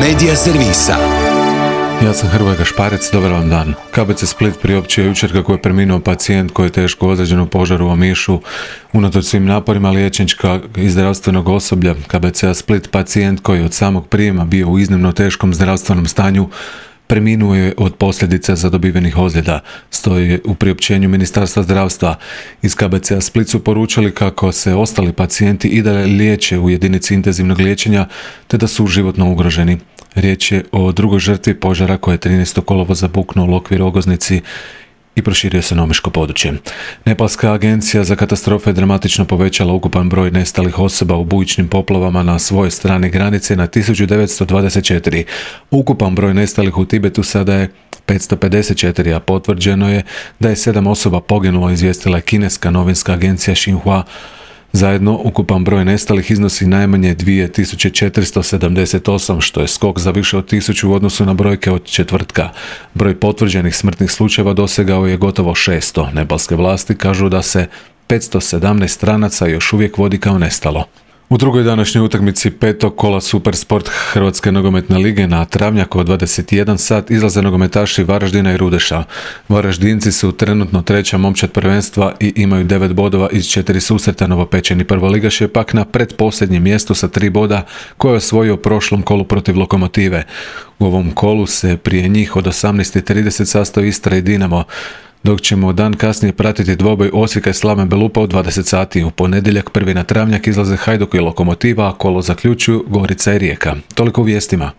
Media servisa. Ja sam Hrvoje Gašparec, dobar vam dan. KBC Split priopćio jučer kako je preminuo pacijent koji je teško ozlijeđen u požaru u Omišu. Unatoč svim naporima liječničkog i zdravstvenog osoblja KBC-a Split, pacijent koji je od samog prijema bio u iznimno teškom zdravstvenom stanju, preminuo je od posljedica zadobivenih ozljeda, stoji u priopćenju Ministarstva zdravstva. Iz KBC-a Split su poručili kako se ostali pacijenti i dalje liječe u jedinici intenzivnog liječenja, te da su životno ugroženi. Riječ je o drugoj žrtvi požara koje je 13. kolovoza buknuo u Lokvi Rogoznici i proširio se na omiško područje. Nepalska agencija za katastrofe je dramatično povećala ukupan broj nestalih osoba u bujičnim poplavama na svojoj strani granice na 1924. Ukupan broj nestalih u Tibetu sada je 554, a potvrđeno je da je 7 osoba poginulo, izvijestila je kineska novinska agencija Xinhua. Zajedno, ukupan broj nestalih iznosi najmanje 2478, što je skok za više od 1000 u odnosu na brojke od četvrtka. Broj potvrđenih smrtnih slučajeva dosegao je gotovo 600. Nepalske vlasti kažu da se 517 stranaca još uvijek vodi kao nestalo. U drugoj današnjoj utakmici petog kola Supersport Hrvatske nogometne lige na Travnjaku od 21 sat izlaze nogometaši Varaždina i Rudeša. Varaždinci su trenutno treća momčad prvenstva i imaju 9 bodova iz 4 susreta. Novopečeni prvoligaš je pak na pretposljednjem mjestu sa 3 boda koje je osvojio u prošlom kolu protiv Lokomotive. U ovom kolu se prije njih od 18:30 sastoji Istra i Dinamo, dok ćemo dan kasnije pratiti dvoboj Osijeka i Slaven Belupa u 20 sati. U ponedjeljak prvi na Travnjak izlaze Hajduk i Lokomotiva, a kolo zaključuju Gorica i Rijeka. Toliko u vijestima.